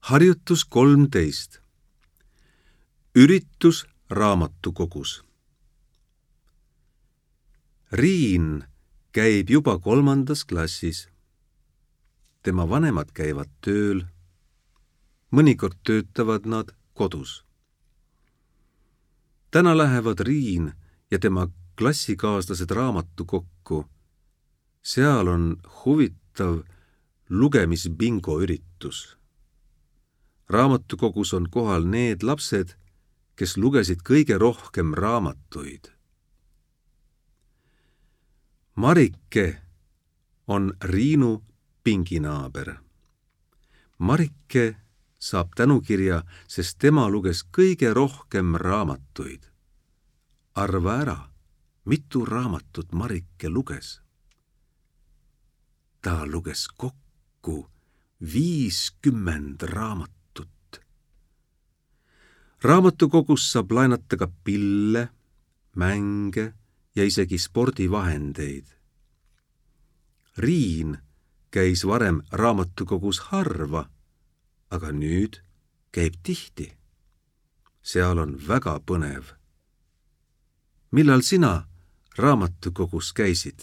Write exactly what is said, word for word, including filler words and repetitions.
Harjutus kolmteist. Üritus raamatukogus. Riin käib juba kolmandas klassis. Tema vanemad käivad tööl. Mõnikord töötavad nad kodus. Täna lähevad Riin ja tema klassikaaslased raamatukokku. Seal on huvitav lugemisbingo üritus. Raamatukogus on kohal need lapsed, kes lugesid kõige rohkem raamatuid. Marike on Riinu pinginaaber. Marike saab tänukirja, sest tema luges kõige rohkem raamatuid. Arva ära, mitu raamatut Marike luges? Ta luges kokku viiskümmend raamatut. Raamatukogus saab laenata ka pille, mänge ja isegi spordivahendeid. Riin käis varem raamatukogus harva, aga nüüd käib tihti. Seal on väga põnev. Millal sina raamatukogus käisid?